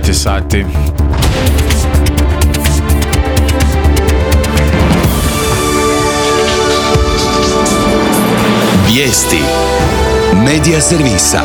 9 sati. Vijesti Medija servisa.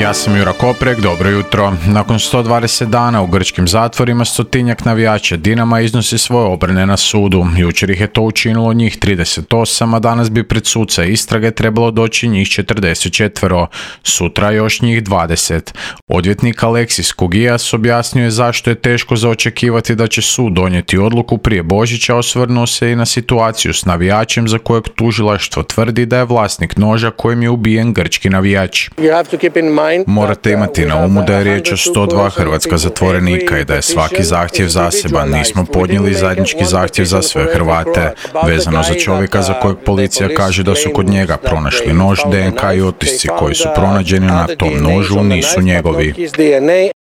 Ja sam Jura Koprek, dobro jutro. Nakon 120 dana u grčkim zatvorima 100-tinjak navijača Dinama iznosi svoje obrane na sudu. Jučer ih je to učinilo njih 38, a danas bi pred suca istrage trebalo doći njih 44. Sutra još njih 20. Odvjetnik Aleksis Kogijas objasnio je zašto je teško za očekivati da će sud donijeti odluku prije Božića, osvrnuo se i na situaciju s navijačem za kojeg tužilaštvo tvrdi da je vlasnik noža kojim je ubijen grčki navijač. Morate imati na umu da je riječ o 102 hrvatska zatvorenika i da je svaki zahtjev zaseban. Nismo podnijeli zajednički zahtjev za sve Hrvate. Vezano za čovjeka za kojeg policija kaže da su kod njega pronašli nož, DNK i otisci koji su pronađeni na tom nožu nisu njegovi.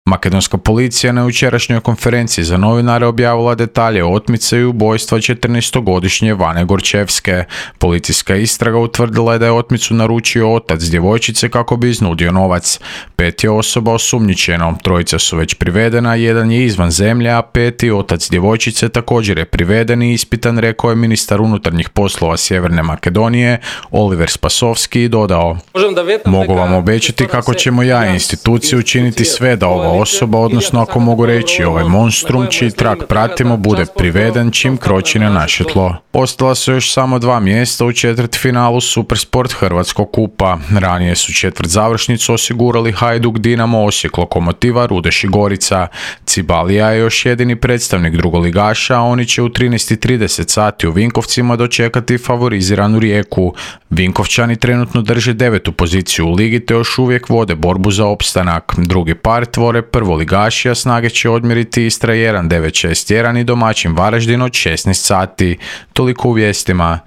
Makedonska policija na jučerašnjoj konferenciji za novinare objavila detalje o otmice i ubojstva 14-godišnje Vane Gorčevske. Policijska istraga utvrdila je da je otmicu naručio otac djevojčice kako bi iznudio novac. 5 je osoba osumnjičeno, 3 su već privedena, 1 je izvan zemlje, a 5. otac djevojčice također je priveden i ispitan, rekao je ministar unutarnjih poslova Sjeverne Makedonije Oliver Spasovski i dodao: "Mogu vam obećati kako ćemo ja i institucije učiniti sve da ova osoba, odnosno ako mogu reći ovaj monstrum čiji trag pratimo, bude priveden čim kroči na naše tlo." Ostala su još samo 2 mjesta u četvrtfinalu Supersport Hrvatskog kupa. Ranije su četvrtzavršnicu osigurali Hajduk, Dinamo, Osijek, Lokomotiva, Rudeš i Gorica. Cibalija je još jedini predstavnik drugoligaša, a oni će u 13:30 sati u Vinkovcima dočekati favoriziranu Rijeku. Vinkovčani trenutno drže 9. poziciju u ligi te još uvijek vode borbu za opstanak. Drugi par tvore prvoligaši, a snage će odmjeriti Istra 1, 9-6-1 i domaćin Varaždin od 16 sati. Toliko u vijestima.